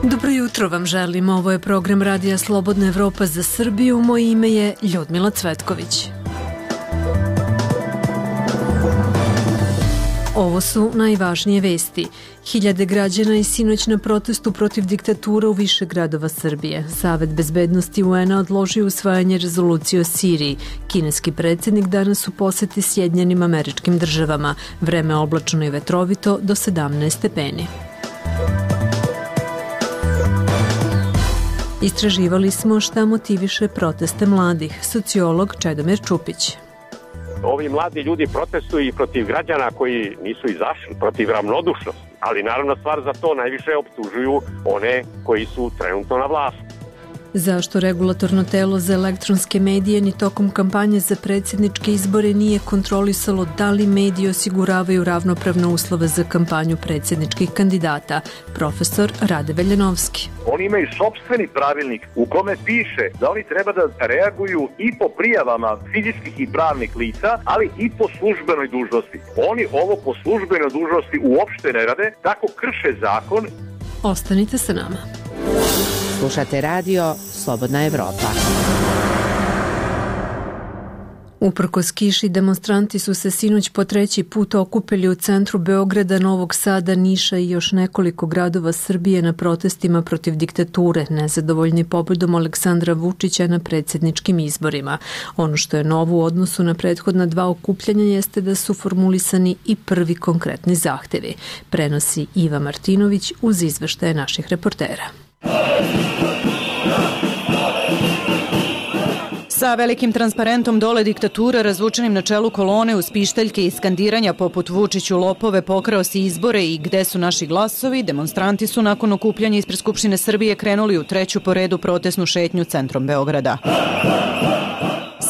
Dobro jutro vam želim, ovo je program Radija Slobodna Evropa za Srbiju, moje ime je Ljudmila Cvetković. Ovo su najvažnije vesti. Hiljade građana i sinoć na protestu protiv diktatura u više gradova Srbije. Savet bezbednosti UN-a odložio usvajanje rezolucije o Siriji. Kineski predsjednik danas u poseti Sjedinjenim Američkim Državama. Vreme oblačno i vetrovito do 17 stepeni. Istraživali smo šta motiviše proteste mladih. Sociolog Čedomir Čupić. Ovi mladi ljudi protestuju i protiv građana koji nisu izašli, protiv ravnodušnosti. Ali naravno stvar za to najviše optužuju one koji su trenutno na vlasti. Zašto regulatorno telo za elektronske medije ni tokom kampanje za predsjedničke izbore nije kontrolisalo da li mediji osiguravaju ravnopravne uslove za kampanju predsjedničkih kandidata? Profesor Rade Veljanovski. Oni imaju sopstveni pravilnik u kome piše da oni treba da reaguju i po prijavama fizičkih i pravnih lica, ali i po službenoj dužnosti. Oni ovo po službenoj dužnosti uopšte ne rade, tako krše zakon. Ostanite sa nama. Slušate radio Slobodna Evropa. Uprkos kiši, demonstranti su se sinoć po treći put okupili u centru Beograda, Novog Sada, Niša i još nekoliko gradova Srbije na protestima protiv diktature, nezadovoljni pobjedom Aleksandra Vučića na predsjedničkim izborima. Ono što je novo u odnosu na prethodna dva okupljanja jeste da su formulisani i prvi konkretni zahtevi. Prenosi Iva Martinović uz izveštaje naših reportera. Sa velikim transparentom dole diktature razvučenim na čelu kolone uz pištaljke i skandiranja poput Vučiću lopove, pokrao si izbore i gde su naši glasovi, demonstranti su nakon okupljanja ispred Skupštine Srbije krenuli u treću po redu protestnu šetnju centrom Beograda.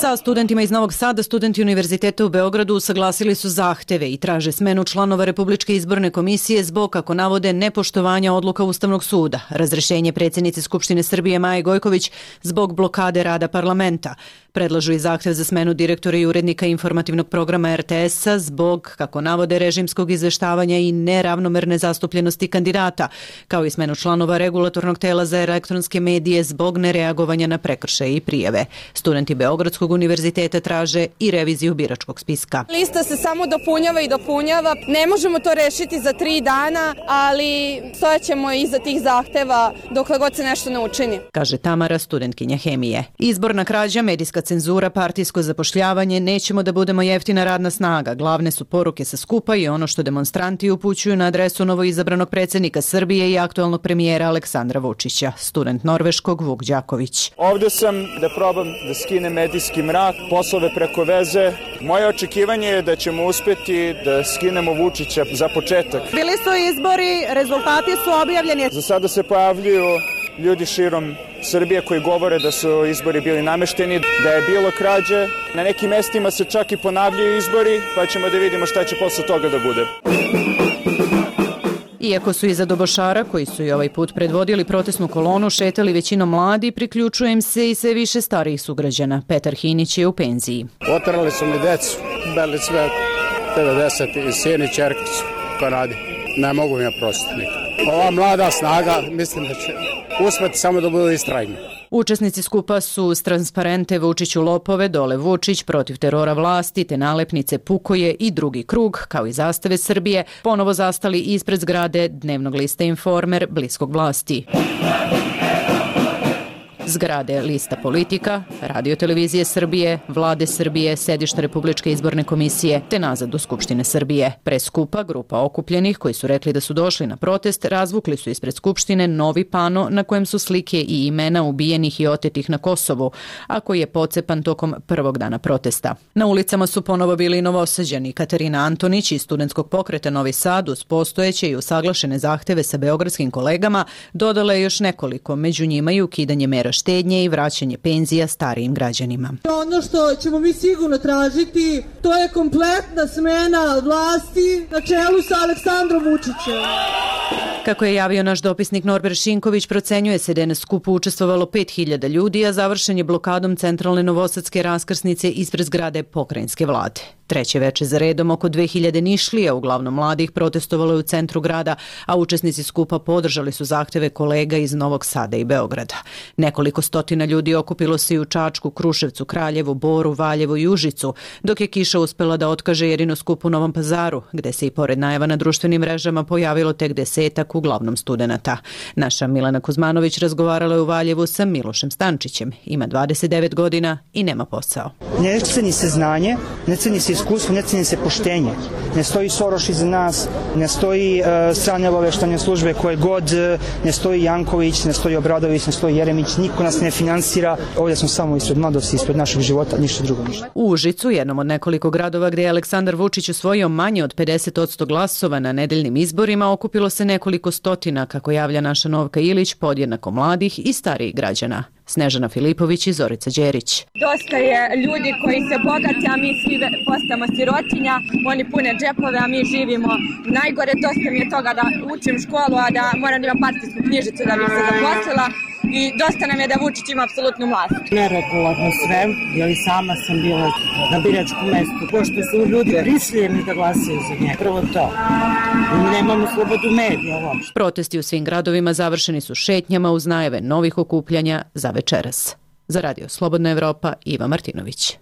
Sa studentima iz Novog Sada, studenti Univerziteta u Beogradu usaglasili su zahteve i traže smenu članova Republičke izborne komisije zbog, kako navode, nepoštovanja odluka Ustavnog suda, razrešenje predsjednice Skupštine Srbije Maje Gojković zbog blokade rada parlamenta. Predlažu i zahtev za smenu direktora i urednika informativnog programa RTS-a zbog, kako navode, režimskog izveštavanja i neravnomerne zastupljenosti kandidata, kao i smenu članova regulatornog tela za elektronske medije zbog nereagovanja na prekršaje i prijave. Studenti Beogradskog univerziteta traže i reviziju biračkog spiska. Lista se samo dopunjava i dopunjava. Ne možemo to rešiti za 3 dana, ali stojaćemo iza tih zahteva dokle god se nešto ne učini, kaže Tamara, studentkinja hemije. Izborna krađa, medijska cenzura, partijsko zapošljavanje, nećemo da budemo jeftina radna snaga. Glavne su poruke sa skupa i ono što demonstranti upućuju na adresu novoizabranog predsjednika Srbije i aktualnog premijera Aleksandra Vučića. Student norveškog Vuk Đaković. Ovdje sam da probam da skinem medijski mrak, poslove preko veze. Moje očekivanje je da ćemo uspjeti da skinemo Vučića za početak. Bili su izbori, rezultati su objavljeni. Za sada se pojavljuju ljudi širom Srbije koji govore da su izbori bili namešteni, da je bilo krađe. Na nekim mestima se čak i ponavljaju izbori, pa ćemo da vidimo šta će posle toga da bude. Iako su iza dobošara, koji su i ovaj put predvodili protestnu kolonu, šetali većinom mladi, priključuje im se i sve više starijih sugrađana. Petar Hinić je u penziji. Otrali su mi decu, bili sve 90 i sin i čerka su to radi. Ne mogu mi ja prostiti nikad. Ova mlada snaga, mislim da će uspjeti samo da budu istrajni. Učesnici skupa su uz transparente Vučiću lopove, dole Vučić, protiv terora vlasti, te nalepnice Pukoje i drugi krug, kao i zastave Srbije, ponovo zastali ispred zgrade dnevnog lista Informer bliskog vlasti. Zgrade lista Politika, Radio televizije Srbije, Vlade Srbije, sedišta Republičke izborne komisije, te nazad do Skupštine Srbije. Pre skupa grupa okupljenih koji su rekli da su došli na protest, razvukli su ispred Skupštine novi pano na kojem su slike i imena ubijenih i otetih na Kosovu, a koji je pocepan tokom prvog dana protesta. Na ulicama su ponovo bili i Novosađani. Katarina Antonić iz studentskog pokreta Novi Sad uz postojeće i usaglašene zahteve sa beogradskim kolegama dodala je još nekoliko, među njima i ukidanje mera štednje i vraćanje penzija starijim građanima. Ono što ćemo mi sigurno tražiti, to je kompletna smena vlasti na čelu sa Aleksandrom Vučićem. Kako je javio naš dopisnik Norbert Šinković, procenjuje se da je na skupu učestvovalo 5000 ljudi, a završen je blokadom centralne novosadske raskrsnice ispred zgrade pokrajinske vlade. Treće veče za redom oko 2000 Nišlija, uglavnom mladih, protestovalo je u centru grada, a učesnici skupa podržali su zahteve kolega iz Novog Sada i Beograda. Nekoliko stotina ljudi okupilo se i u Čačku, Kruševcu, Kraljevu, Boru, Valjevu i Užicu, dok je kiša uspela da otkaže jedino skup u Novom Pazaru, gde se i pored najava na društvenim mrežama pojavilo tek 10-ak, uglavnom studenata. Naša Milana Kuzmanović razgovarala je u Valjevu sa Milošem Stančićem. Ima 29 godina i nema posao. Ne ceni se znanje, ne ceni se iskustvo, ne ceni se poštenje. Ne stoji Soroš iza nas, ne stoji strane obaveštajne službe koje god, ne stoji Janković, ne stoji Obradović, ne stoji Jeremić, niko nas ne finansira. Ovdje smo samo ispred mladosti, ispred našeg života, ništa drugo ništa. U Užicu, jednom od nekoliko gradova gdje je Aleksandar Vučić osvojio manje od 50% glasova na nedeljnim izborima, okupilo se nekoliko stotina, kako javlja naša Novka Ilić, podjednako mladih i starijih građana. Snežana Filipović i Zorica Đerić. Dosta je ljudi koji se bogati, a mi svi postajemo sirotinja, oni pune džepove, a mi živimo najgore. Dosta mi je toga da učim školu, a da moram da imam partijsku knjižicu da bih se zaposlila. I dosta nam je da Vučić ima apsolutnu vlast. Neregularno sve, jer i sama sam bila na biračkom mestu, pošto su ljudi prisiljeni da glasaju za njega. Prvo to. Nemamo slobodu medija uopšte. Protesti u svim gradovima završeni su šetnjama uz najave novih okupljanja za večeras. Za Radio Slobodna Evropa, Iva Martinović.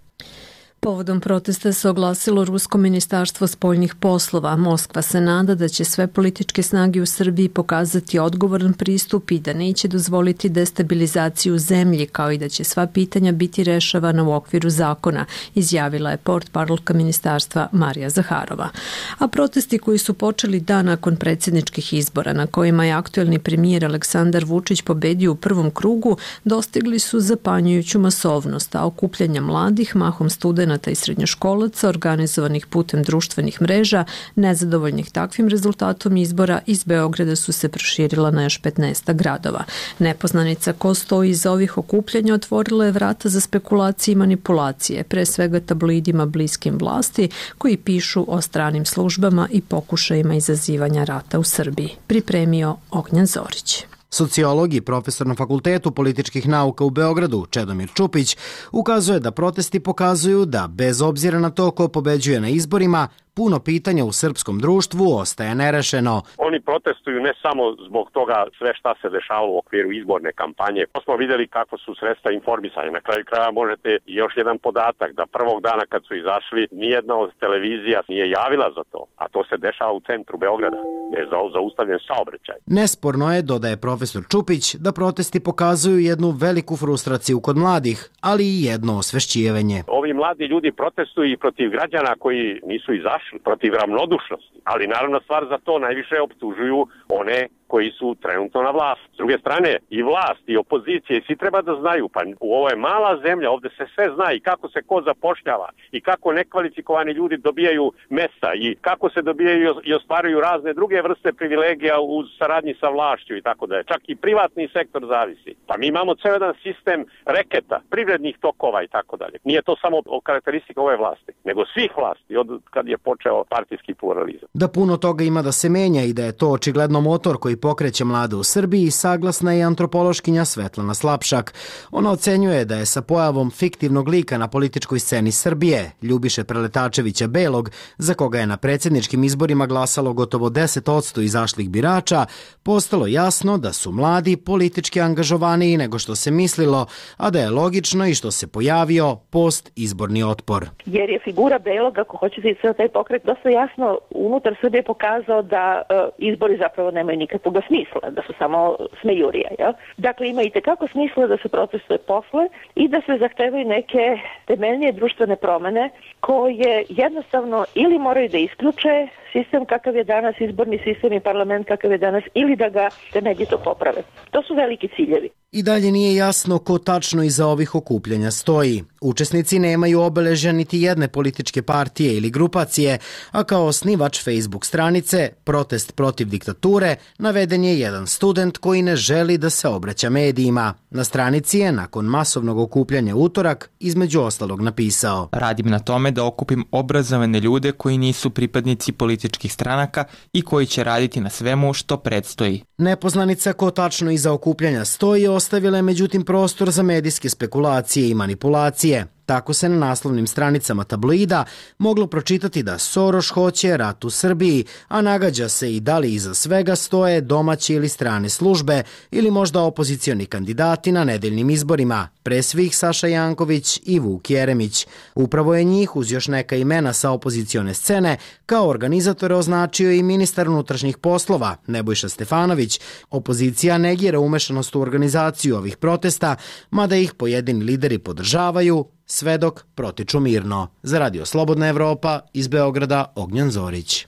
Povodom protesta se oglasilo Rusko ministarstvo spoljnih poslova. Moskva se nada da će sve političke snage u Srbiji pokazati odgovoran pristup i da neće dozvoliti destabilizaciju zemlji, kao i da će sva pitanja biti rešavana u okviru zakona, izjavila je portparolka ministarstva Marija Zaharova. A protesti koji su počeli dan nakon predsjedničkih izbora, na kojima je aktuelni premijer Aleksandar Vučić pobedio u prvom krugu, dostigli su zapanjujuću masovnost, a okupljanja mladih, mahom studenata i srednjoškolaca, organizovanih putem društvenih mreža, nezadovoljnih takvim rezultatom izbora, iz Beograda su se proširila na još 15 gradova. Nepoznanica ko stoji iza ovih okupljanja otvorila je vrata za spekulacije i manipulacije, pre svega tabloidima bliskim vlasti, koji pišu o stranim službama i pokušajima izazivanja rata u Srbiji. Pripremio Ognjan Zorić. Sociolog i profesor na Fakultetu političkih nauka u Beogradu, Čedomir Čupić, ukazuje da protesti pokazuju da, bez obzira na to ko pobeđuje na izborima, puno pitanja u srpskom društvu ostaje nerešeno. Oni protestuju ne samo zbog toga sve šta se dešavalo u okviru izborne kampanje. Smo vidjeli kako su sredstva informisanja. Na kraju kraja možete još jedan podatak da prvog dana kad su izašli nijedna od televizija nije javila za to, a to se dešava u centru Beograda, gdje je zaustavljen saobraćaj. Nesporno je, dodaje profesor Čupić, da protesti pokazuju jednu veliku frustraciju kod mladih, ali i jedno osvešćivanje. Ovi mladi ljudi protestuju i protiv građana koji nisu izašli, protiv ravnodušnosti, ali naravno stvar za to najviše optužuju one koji su trenutno na vlasti. S druge strane, i vlast i opozicije, svi treba da znaju, pa ovo je mala zemlja, ovdje se sve zna i kako se ko zapošljava i kako nekvalifikovani ljudi dobijaju mesta i kako se dobijaju i ostvaruju razne druge vrste privilegija u saradnji sa vlašću i tako da je. Čak i privatni sektor zavisi. Pa mi imamo ceo jedan sistem reketa, privrednih tokova i tako dalje. Nije to samo karakteristika ove vlasti, nego svih vlasti od kad je počeo partijski pluralizam. Da puno toga ima da se menja i da je to očigledno motor koji pokreće mlade u Srbiji, saglasna je antropološkinja Svetlana Slapšak. Ona ocenjuje da je sa pojavom fiktivnog lika na političkoj sceni Srbije, Ljubiše Preletačevića Belog, za koga je na predsjedničkim izborima glasalo gotovo 10% izašlih birača, postalo jasno da su mladi politički angažovaniji nego što se mislilo, a da je logično i što se pojavio post-izborni otpor. Jer je figura Belog, ako hoćete i sve taj pokret, dosta jasno unutar Srbije pokazao da izbori zapravo nemaju nikakvog smisla, da su samo smejurija. Ja? Dakle, ima i tekako smisla da se protestuje posle i da se zahtevaju neke temeljnije društvene promene koje jednostavno ili moraju da isključe sistem kakav je danas, izborni sistem i parlament kakav je danas, ili da ga temeljito poprave. To su veliki ciljevi. I dalje nije jasno ko tačno iza ovih okupljanja stoji. Učesnici nemaju obeležja niti jedne političke partije ili grupacije, a kao osnivač Facebook stranice Protest protiv diktature naveden je jedan student koji ne želi da se obraća medijima. Na stranici je nakon masovnog okupljanja utorak između ostalog napisao: Radim na tome da okupim obrazovane ljude koji nisu pripadnici političkih stranaka i koji će raditi na svemu što predstoji. Nepoznanica ko tačno iza okupljanja stoji ostavila je međutim prostor za medijske spekulacije i manipulacije. Tako se na naslovnim stranicama tabloida moglo pročitati da Soroš hoće rat u Srbiji, a nagađa se i da li iza svega stoje domaće ili strane službe ili možda opozicioni kandidati na nedeljnim izborima, pre svih Saša Janković i Vuk Jeremić. Upravo je njih, uz još neka imena sa opozicione scene, kao organizatore označio i ministar unutrašnjih poslova Nebojša Stefanović. Opozicija negira umešanost u organizaciju ovih protesta, mada ih pojedini lideri podržavaju, sve dok protiču mirno. Za Radio Slobodna Evropa, iz Beograda, Ognjan Zorić.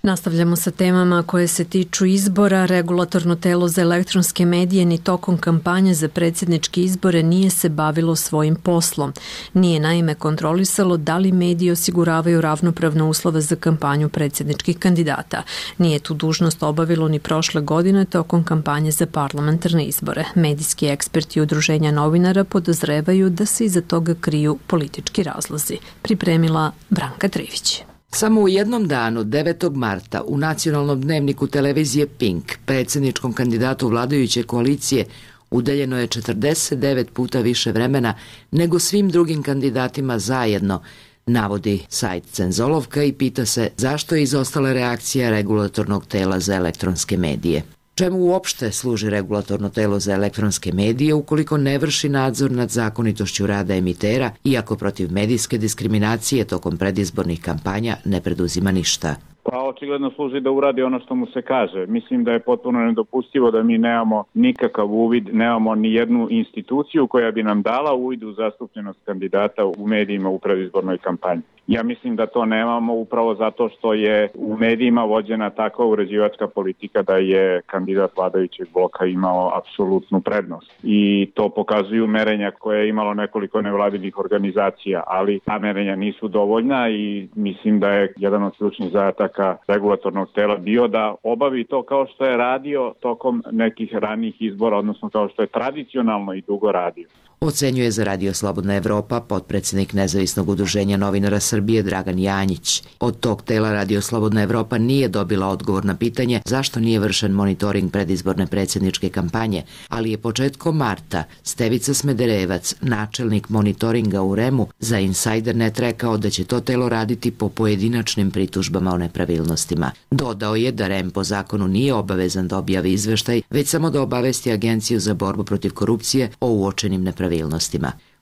Nastavljamo sa temama koje se tiču izbora. Regulatorno telo za elektronske medije ni tokom kampanje za predsjedničke izbore nije se bavilo svojim poslom. Nije naime kontrolisalo da li mediji osiguravaju ravnopravne uslove za kampanju predsjedničkih kandidata. Nije tu dužnost obavilo ni prošle godine tokom kampanje za parlamentarne izbore. Medijski eksperti Udruženja novinara podozrevaju da se iza toga kriju politički razlozi. Pripremila Branka Trivić. Samo u jednom danu, 9. marta, u nacionalnom dnevniku televizije Pink, predsjedničkom kandidatu vladajuće koalicije, udeljeno je 49 puta više vremena nego svim drugim kandidatima zajedno, navodi sajt Cenzolovka i pita se zašto je izostala reakcija regulatornog tela za elektronske medije. Čemu uopšte služi regulatorno telo za elektronske medije ukoliko ne vrši nadzor nad zakonitošću rada emitera, iako protiv medijske diskriminacije tokom predizbornih kampanja ne preduzima ništa? Pa očigledno služi da uradi ono što mu se kaže. Mislim da je potpuno nedopustivo da mi nemamo nikakav uvid, nemamo ni jednu instituciju koja bi nam dala uvid u zastupljenost kandidata u medijima u predizbornoj kampanji. Ja mislim da to nemamo upravo zato što je u medijima vođena takva uređivačka politika da je kandidat vladajućeg bloka imao apsolutnu prednost. I to pokazuju merenja koje je imalo nekoliko nevladinih organizacija, ali ta merenja nisu dovoljna i mislim da je jedan od ključnih zadataka regulatornog tela bio da obavi to kao što je radio tokom nekih ranijih izbora, odnosno kao što je tradicionalno i dugo radio. Ocenjuje za Radio Slobodna Evropa potpredsjednik Nezavisnog udruženja novinara Srbije Dragan Janjić. Od tog tela Radio Slobodna Evropa nije dobila odgovor na pitanje zašto nije vršen monitoring predizborne predsjedničke kampanje, ali je početkom marta Stevica Smederevac, načelnik monitoringa u REM-u, za Insidernet rekao da će to telo raditi po pojedinačnim pritužbama o nepravilnostima. Dodao je da REM po zakonu nije obavezan da objavi izveštaj, već samo da obavesti Agenciju za borbu protiv korupcije o uočenim nepravilnostima.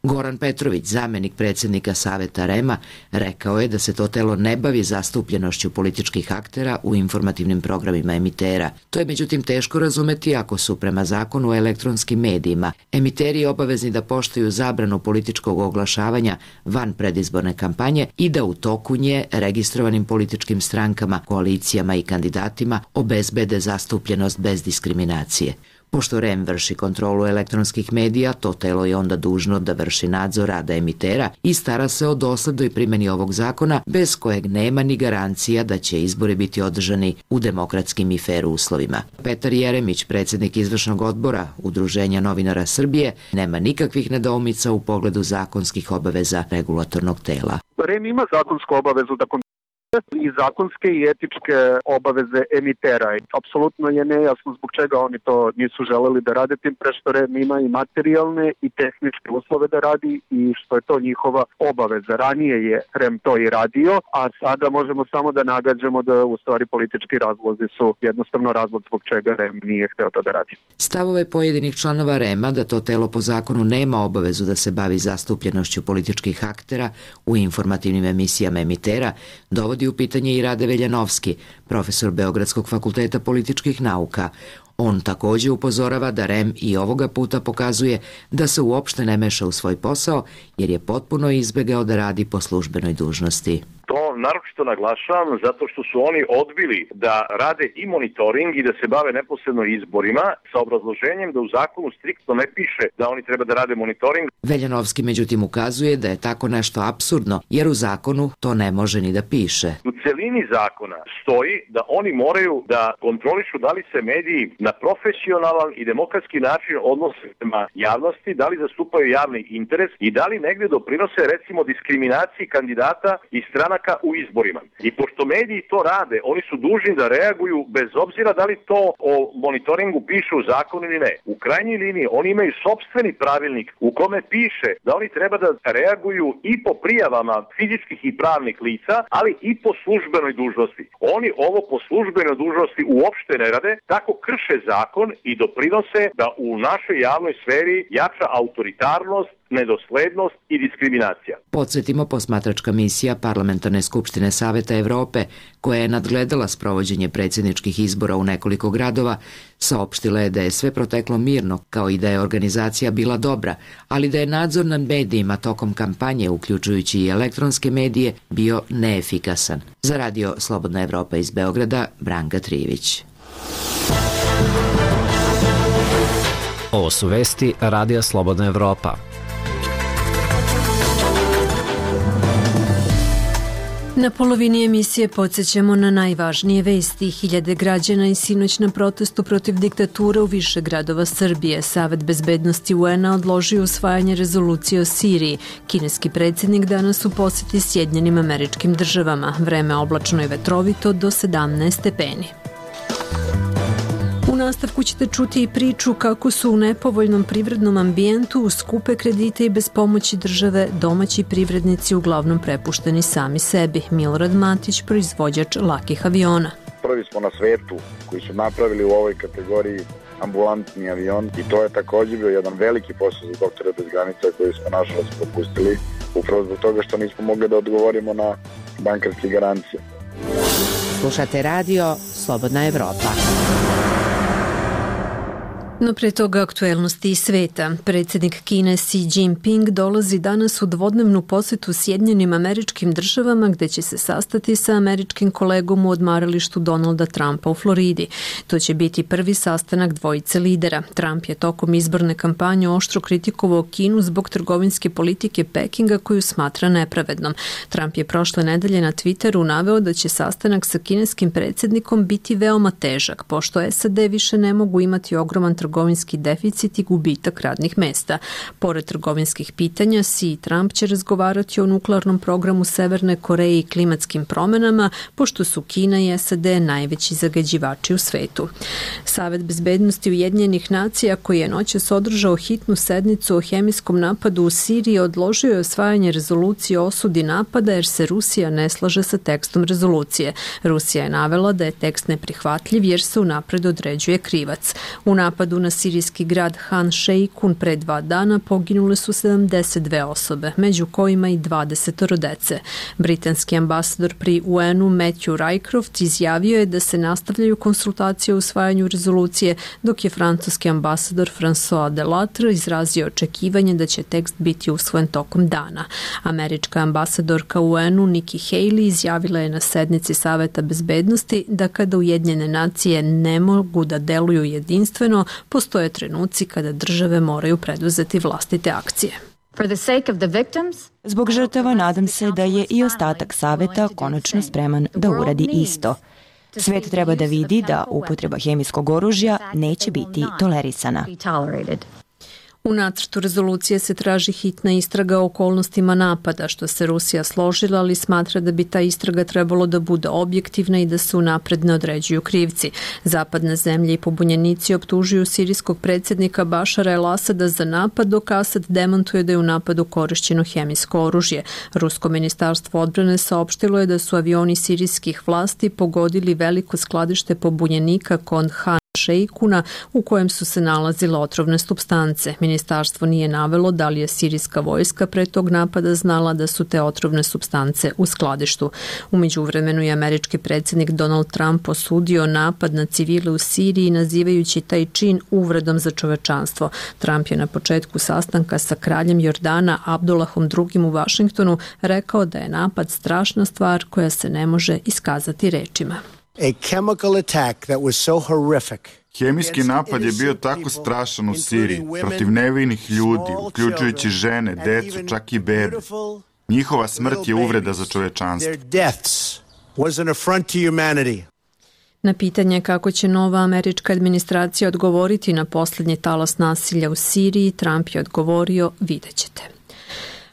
Goran Petrović, zamenik predsjednika Saveta REM-a, rekao je da se to telo ne bavi zastupljenošću političkih aktera u informativnim programima emitera. To je međutim teško razumeti ako su prema zakonu o elektronskim medijima emiteri obavezni da poštuju zabranu političkog oglašavanja van predizborne kampanje i da u toku nje registrovanim političkim strankama, koalicijama i kandidatima obezbede zastupljenost bez diskriminacije. Pošto REM vrši kontrolu elektronskih medija, to telo je onda dužno da vrši nadzor rada emitera i stara se o doslednoj primjeni ovog zakona, bez kojeg nema ni garancija da će izbori biti održani u demokratskim i fer uslovima. Petar Jeremić, predsjednik izvršnog odbora Udruženja novinara Srbije, nema nikakvih nedoumica u pogledu zakonskih obaveza regulatornog tela. REM ima zakonsku obavezu da i zakonske i etičke obaveze emitera. Apsolutno je nejasno zbog čega oni to nisu želeli da rade, tim pre što REM ima i materijalne i tehničke uslove da radi i što je to njihova obaveza. Ranije je REM to i radio, a sada možemo samo da nagađamo da u stvari politički razlozi su jednostavno razlog zbog čega REM nije hteo to da radi. Stavove pojedinih članova REM-a da to telo po zakonu nema obavezu da se bavi zastupljenošću političkih aktera u informativnim emisijama emitera dovodi u pitanje i Rade Veljanovski, profesor Beogradskog fakulteta političkih nauka. On također upozorava da REM i ovoga puta pokazuje da se uopšte ne meša u svoj posao jer je potpuno izbegao da radi po službenoj dužnosti. To naročito naglašavam zato što su oni odbili da rade i monitoring i da se bave neposredno izborima sa obrazloženjem da u zakonu striktno ne piše da oni treba da rade monitoring. Veljanovski međutim ukazuje da je tako nešto apsurdno jer u zakonu to ne može ni da piše. U celini zakona stoji da oni moraju da kontrolišu da li se mediji na profesionalan i demokratski način odnose prema javnosti, da li zastupaju javni interes i da li negde doprinose recimo diskriminaciji kandidata i stranaka u izborima. I pošto mediji to rade, oni su dužni da reaguju bez obzira da li to o monitoringu piše u zakonu ili ne. U krajnjoj liniji oni imaju sopstveni pravilnik u kome piše da oni treba da reaguju i po prijavama fizičkih i pravnih lica, ali i po službenoj dužnosti. Oni ovo po službenoj dužnosti uopšte ne rade, tako krše zakon i doprinose da u našoj javnoj sferi jača autoritarnost, nedoslednost i diskriminacija. Podsjetimo, posmatračka misija Parlamentarne skupštine Saveta Evrope, koja je nadgledala sprovođenje predsjedničkih izbora u nekoliko gradova, saopštila je da je sve proteklo mirno, kao i da je organizacija bila dobra, ali da je nadzor nad medijima tokom kampanje, uključujući i elektronske medije, bio neefikasan. Za radio Slobodna Evropa iz Beograda, Branka Trivić. Ovo su vesti Radija Slobodna Evropa. Na polovini emisije podsjećamo na najvažnije vesti. Hiljade građana i sinoć na protestu protiv diktature u više gradova Srbije. Savet bezbednosti UN-a odložio usvajanje rezolucije o Siriji. Kineski predsjednik danas u posjeti Sjedinjenim Američkim Državama. Vreme oblačno i vetrovito do 17 stepeni. U nastavku ćete čuti i priču kako su u nepovoljnom privrednom ambijentu uz skupe kredite i bez pomoći države domaći privrednici uglavnom prepušteni sami sebi. Milorad Matić, proizvođač lakih aviona. Prvi smo na svetu koji su napravili u ovoj kategoriji ambulantni avion i to je također bio jedan veliki posao za Doktore bez granica koji smo nažalost propustili upravo zbog toga što nismo mogli da odgovorimo na bankarske garancije. Slušate radio Slobodna Evropa. No pre toga aktuelnosti iz sveta. Predsjednik Kine Xi Jinping dolazi danas u dvodnevnu posjetu Sjedinjenim Američkim Državama gdje će se sastati sa američkim kolegom u odmaralištu Donalda Trumpa u Floridi. To će biti prvi sastanak dvojice lidera. Trump je tokom izborne kampanje oštro kritikovao Kinu zbog trgovinske politike Pekinga koju smatra nepravednom. Trump je prošle nedelje na Twitteru naveo da će sastanak sa kineskim predsjednikom biti veoma težak, pošto SAD više ne mogu imati ogroman trgovinski deficit i gubitak radnih mesta. Pored trgovinskih pitanja, Xi i Trump će razgovarati o nuklearnom programu Severne Koreje i klimatskim promenama, pošto su Kina i SAD najveći zagađivači u svetu. Savet bezbednosti Ujedinjenih nacija, koji je noćas održao hitnu sednicu o hemijskom napadu u Siriji, odložio je usvajanje rezolucije o osudi napada jer se Rusija ne slaže sa tekstom rezolucije. Rusija je navela da je tekst neprihvatljiv jer se unapred određuje krivac. U napadu na sirijski grad Han Sheikhoun pre 2 dana poginule su 72 osobe, među kojima i 20 dece. Britanski ambasador pri UN-u Matthew Rycroft izjavio je da se nastavljaju konsultacije o usvajanju rezolucije, dok je francuski ambasador François Delattre izrazio očekivanje da će tekst biti usvojen tokom dana. Američka ambasadorka UN-u Nikki Haley izjavila je na sednici Saveta bezbednosti da kada Ujedinjene nacije ne mogu da deluju jedinstveno, postoje trenuci kada države moraju preduzeti vlastite akcije. Zbog žrtava nadam se da je i ostatak saveta konačno spreman da uradi isto. Svet treba da vidi da upotreba hemijskog oružja neće biti tolerisana. U nacrtu rezolucije se traži hitna istraga o okolnostima napada, što se Rusija složila, ali smatra da bi ta istraga trebalo da bude objektivna i da se unapred ne određuju krivci. Zapadne zemlje i pobunjenici optužuju sirijskog predsjednika Bašara el-Asada za napad, dok Asad demantuje da je u napadu korišćeno hemijsko oružje. Rusko ministarstvo odbrane saopštilo je da su avioni sirijskih vlasti pogodili veliko skladište pobunjenika kod Han Sheikhouna u kojem su se nalazile otrovne supstance. Ministarstvo nije navelo da li je sirijska vojska pre tog napada znala da su te otrovne supstance u skladištu. U međuvremenu je američki predsjednik Donald Trump osudio napad na civile u Siriji, nazivajući taj čin uvredom za čovečanstvo. Trump je na početku sastanka sa kraljem Jordana Abdullahom II u Vašingtonu rekao da je napad strašna stvar koja se ne može iskazati rečima. Hemijski napad je bio tako strašan u Siriji, protiv nevinih ljudi, uključujući žene, decu, čak i bebe. Njihova smrt je uvreda za čovečanstvo. Na pitanje kako će nova američka administracija odgovoriti na posljednji talas nasilja u Siriji, Trump je odgovorio: vidjet ćete.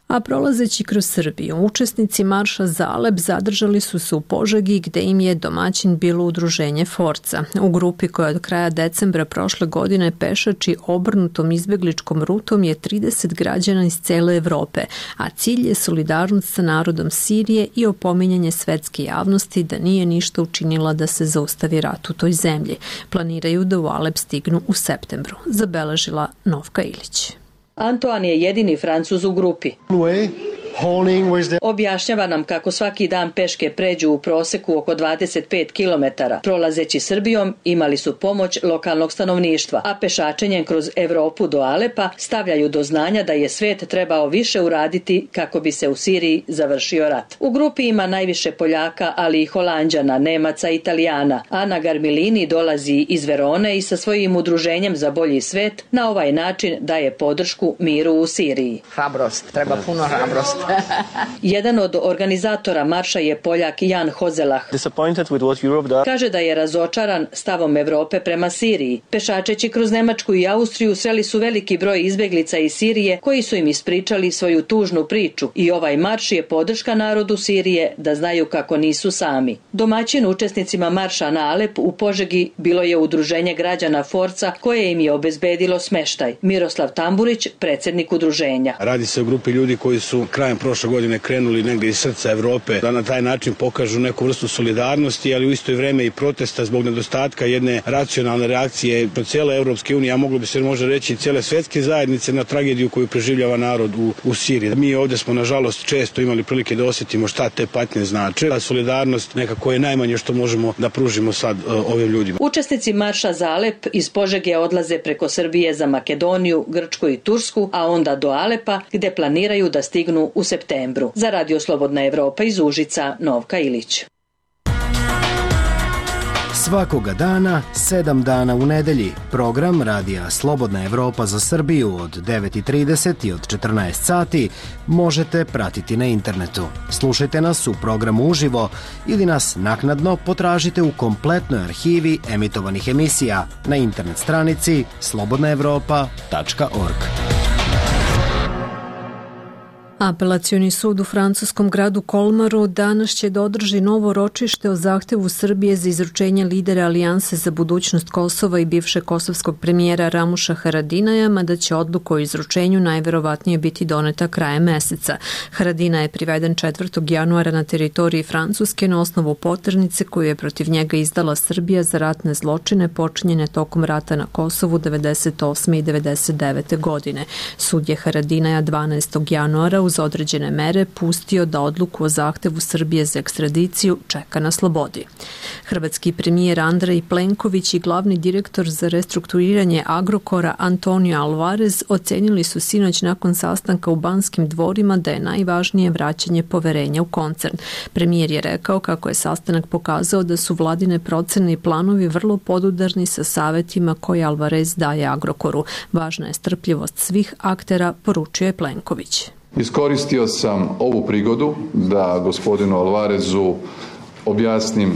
A prolazeći kroz Srbiju, učesnici marša za Alep zadržali su se u Požegi gde im je domaćin bilo udruženje Forca. U grupi koja od kraja decembra prošle godine pešači obrnutom izbegličkom rutom je 30 građana iz cele Evrope, a cilj je solidarnost sa narodom Sirije i opominjanje svetske javnosti da nije ništa učinila da se zaustavi rat u toj zemlji. Planiraju da u Alep stignu u septembru, zabeležila Novka Ilić. Antoine je jedini Francuz u grupi. Objašnjava nam kako svaki dan peške pređu u proseku oko 25 km. Prolazeći Srbijom imali su pomoć lokalnog stanovništva, a pešačenjem kroz Evropu do Alepa stavljaju do znanja da je svet trebao više uraditi kako bi se u Siriji završio rat. U grupi ima najviše Poljaka, ali i Holanđana, Nemaca i Italijana. Ana Garmilini dolazi iz Verone i sa svojim udruženjem za bolji svet na ovaj način daje podršku miru u Siriji. Hrabrost, treba puno hrabrost. Jedan od organizatora marša je Poljak Jan Hozelah. Kaže da je razočaran stavom Evrope prema Siriji. Pešačeći kroz Nemačku i Austriju sreli su veliki broj izbeglica iz Sirije koji su im ispričali svoju tužnu priču i ovaj marš je podrška narodu Sirije da znaju kako nisu sami. Domaćin učesnicima marša na Alep u Požegi bilo je udruženje građana Forca koje im je obezbedilo smeštaj. Miroslav Tamburić, predsjednik udruženja. Radi se o grupi ljudi koji su krajem prošle godine krenuli negdje iz srca Evrope da na taj način pokažu neku vrstu solidarnosti, ali u isto vrijeme i protesta zbog nedostatka jedne racionalne reakcije po cijele Evropske unije, a moglo bi se možda reći cijele svjetske zajednice na tragediju koju preživljava narod u Siriji. Mi ovdje smo nažalost često imali prilike da osjetimo šta te patnje znače. Ta solidarnost nekako je najmanje što možemo da pružimo sad ovim ljudima. Učesnici marša za Alep iz Požege odlaze preko Srbije za Makedoniju, Grčku i Tursku, a onda do Alepa gdje planiraju da stignu u septembru. Za Radio Slobodna Evropa iz Užica, Novka Ilić. Svakoga dana, 7 dana u nedelji, program Radija Slobodna Evropa za Srbiju od 9:30 i od 14 sati možete pratiti na internetu. Slušajte nas u programu uživo ili nas naknadno potražite u kompletnoj arhivi emitovanih emisija na internet stranici slobodnaevropa.org. Apelacioni sud u francuskom gradu Kolmaru danas će da održi novo ročište o zahtevu Srbije za izručenje lidera Alijanse za budućnost Kosova i bivšeg kosovskog premijera Ramuša Haradinaja, mada će odluka o izručenju najverovatnije biti doneta krajem meseca. Haradina je priveden 4. januara na teritoriji Francuske na osnovu poternice koju je protiv njega izdala Srbija za ratne zločine počinjene tokom rata na Kosovu 98. i 99. godine. Sud je Haradinaja 12. januara uz određene mere pustio da odluku o zahtevu Srbije za ekstradiciju čeka na slobodi. Hrvatski premijer Andrej Plenković i glavni direktor za restrukturiranje Agrokora Antonio Alvarez ocenili su sinoć nakon sastanka u Banskim dvorima da je najvažnije vraćanje poverenja u koncern. Premijer je rekao kako je sastanak pokazao da su vladine procene i planovi vrlo podudarni sa savetima koje Alvarez daje Agrokoru. Važna je strpljivost svih aktera, poručio je Plenković. Iskoristio sam ovu prigodu da gospodinu Alvarezu objasnim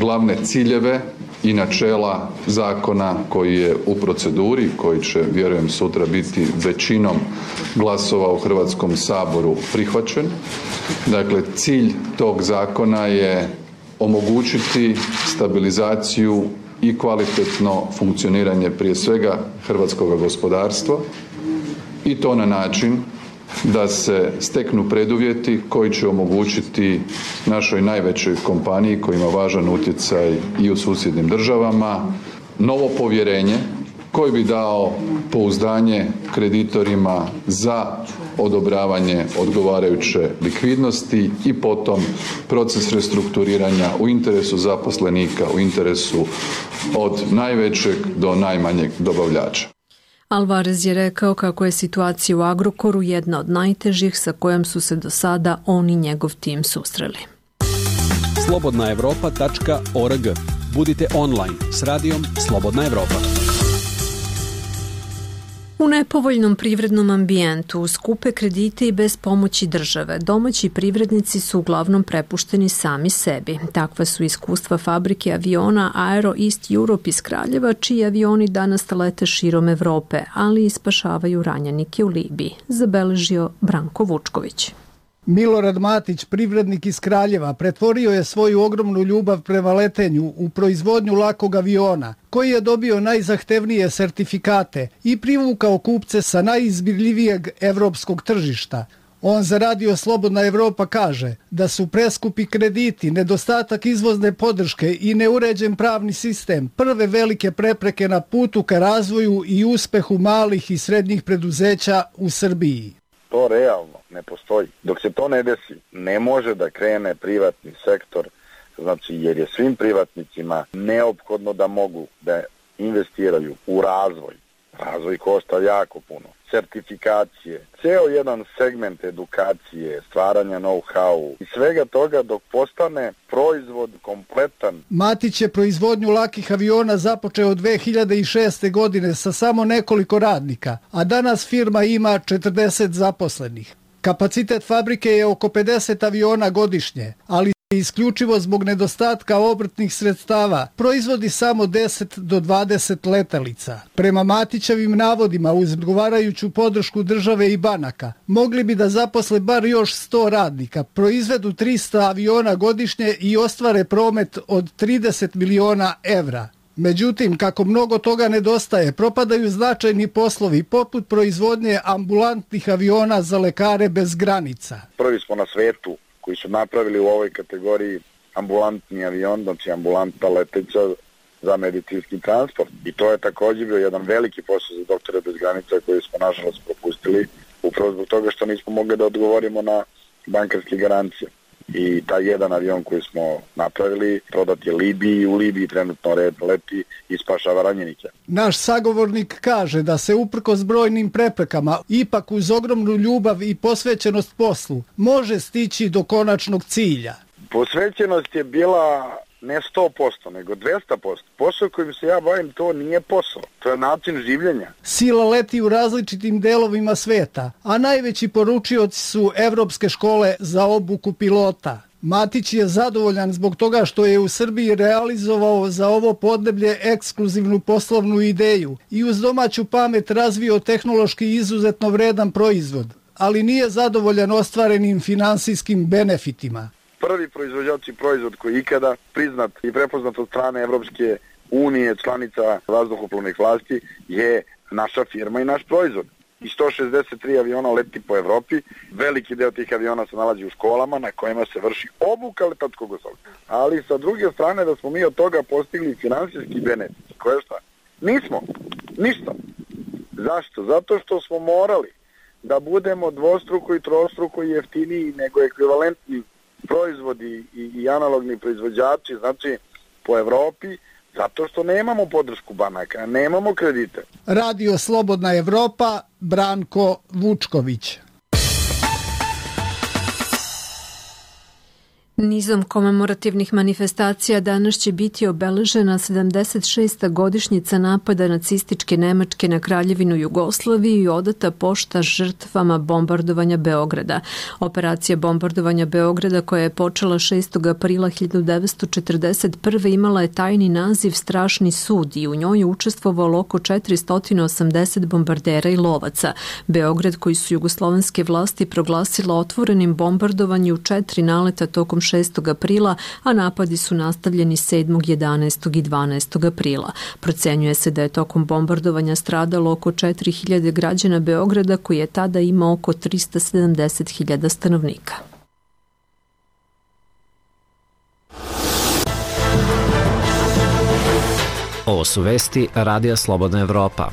glavne ciljeve i načela zakona koji je u proceduri, koji će, vjerujem, sutra biti većinom glasova u Hrvatskom saboru prihvaćen. Dakle, cilj tog zakona je omogućiti stabilizaciju i kvalitetno funkcioniranje prije svega hrvatskog gospodarstva i to na način da se steknu preduvjeti koji će omogućiti našoj najvećoj kompaniji koja ima važan utjecaj i u susjednim državama novo povjerenje koji bi dao pouzdanje kreditorima za odobravanje odgovarajuće likvidnosti i potom proces restrukturiranja u interesu zaposlenika, u interesu od najvećeg do najmanjeg dobavljača. Alvarez je rekao kako je situacija u Agrokoru jedna od najtežih sa kojom su se do sada on i njegov tim susreli. slobodnaevropa.org. Budite online s radijom Slobodna Evropa. U nepovoljnom privrednom ambijentu, skupe kredite i bez pomoći države, domaći privrednici su uglavnom prepušteni sami sebi. Takva su iskustva fabrike aviona Aero East Europe iz Kraljeva, čiji avioni danas lete širom Evrope, ali i spašavaju ranjenike u Libiji, zabeležio Branko Vučković. Milorad Matić, privrednik iz Kraljeva, pretvorio je svoju ogromnu ljubav prema letenju u proizvodnju lakog aviona, koji je dobio najzahtevnije sertifikate i privukao kupce sa najizbirljivijeg evropskog tržišta. On za Radio Slobodna Evropa kaže da su preskupi krediti, nedostatak izvozne podrške i neuređen pravni sistem prve velike prepreke na putu ka razvoju i uspehu malih i srednjih preduzeća u Srbiji. To realno ne postoji. Dok se to ne desi, ne može da krene privatni sektor, znači jer je svim privatnicima neophodno da mogu da investiraju u razvoj. Razvoj košta jako puno. Sertifikacije, ceo jedan segment edukacije, stvaranja know-how i svega toga dok postane proizvod kompletan. Matić je proizvodnju lakih aviona započeo 2006. godine sa samo nekoliko radnika, a danas firma ima 40 zaposlenih. Kapacitet fabrike je oko 50 aviona godišnje, ali isključivo zbog nedostatka obrtnih sredstava proizvodi samo 10 do 20 letelica. Prema Matićevim navodima, uz odgovarajuću podršku države i banaka, mogli bi da zaposle bar još 100 radnika, proizvedu 300 aviona godišnje i ostvare promet od 30 miliona evra. Međutim, kako mnogo toga nedostaje, propadaju značajni poslovi poput proizvodnje ambulantnih aviona za lekare bez granica. Prvi smo na svetu koji su napravili u ovoj kategoriji ambulantni avion, znači ambulanta leteća za medicinski transport. I to je također bio jedan veliki posao za Doktore bez granica koji smo nažalost propustili upravo zbog toga što nismo mogli da odgovorimo na bankarske garancije. I taj jedan avion koji smo napravili prodat je Libiji, u Libiji trenutno leti i spašava ranjenike. Naš sagovornik kaže da se uprkos brojnim preprekama, ipak uz ogromnu ljubav i posvećenost poslu, može stići do konačnog cilja. Posvećenost je bila ne 100%, nego 200%. Posao kojim se ja bavim, to nije posao, to je način življenja. Sila leti u različitim delovima sveta, a najveći poručioci su evropske škole za obuku pilota. Matić je zadovoljan zbog toga što je u Srbiji realizovao za ovo podneblje ekskluzivnu poslovnu ideju i uz domaću pamet razvio tehnološki izuzetno vredan proizvod, ali nije zadovoljan ostvarenim finansijskim benefitima. Prvi proizvođač i proizvod koji je ikada priznat i prepoznat od strane Evropske unije, članica vazduhoplovnih vlasti, je naša firma i naš proizvod. I 163 aviona leti po Evropi, veliki deo tih aviona se nalazi u školama na kojima se vrši obuka letatskog osoblja. Ali sa druge strane da smo mi od toga postigli finansijski benefit. Koje šta? Nismo. Ništa. Zašto? Zato što smo morali da budemo dvostruko i trostruko jeftiniji nego ekvivalentni proizvodi i analogni proizvođači, znači po Evropi, zato što nemamo podršku banaka, nemamo kredite. Radio Slobodna Evropa, Branko Vučković. Nizom komemorativnih manifestacija danas će biti obeležena 76. godišnjica napada nacističke Nemačke na Kraljevinu Jugoslaviju i odata pošta žrtvama bombardovanja Beograda. Operacija bombardovanja Beograda, koja je počela 6. aprila 1941. imala je tajni naziv Strašni sud i u njoj je učestvovalo oko 480 bombardera i lovaca. Beograd, koji su jugoslovenske vlasti proglasila otvorenim bombardovanju u 4 naleta tokom 6. aprila, a napadi su nastavljeni 7., 11. i 12. aprila. Procenjuje se da je tokom bombardovanja stradalo oko 4000 građana Beograda, koji je tada imao oko 370.000 stanovnika. Ovo su vesti Radija Slobodna Evropa.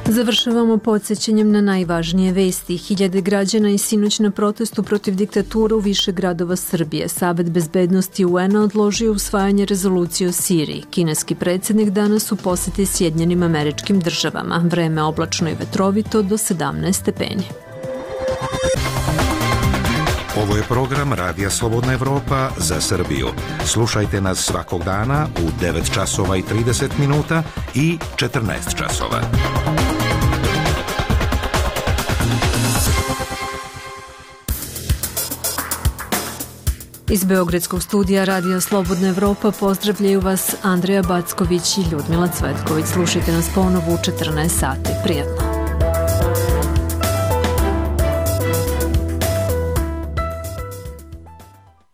Završavamo podsjećanjem na najvažnije vesti. Hiljade građana i sinoć na protestu protiv diktature u više gradova Srbije. Savet bezbednosti UN-a odložio usvajanje rezolucije o Siriji. Kineski predsjednik danas u posjeti Sjedinjenim Američkim Državama. Vreme oblačno i vetrovito do 17 stepeni. Ovo je program Radija Slobodna Evropa za Srbiju. Slušajte nas svakog dana u 9 časova i 30 minuta i 14 časova. Iz Beogradskog studija Radija Slobodna Evropa pozdravljaju vas Andreja Backović i Ljudmila Cvetković. Slušajte nas ponovo u 14 sati. Prijatno.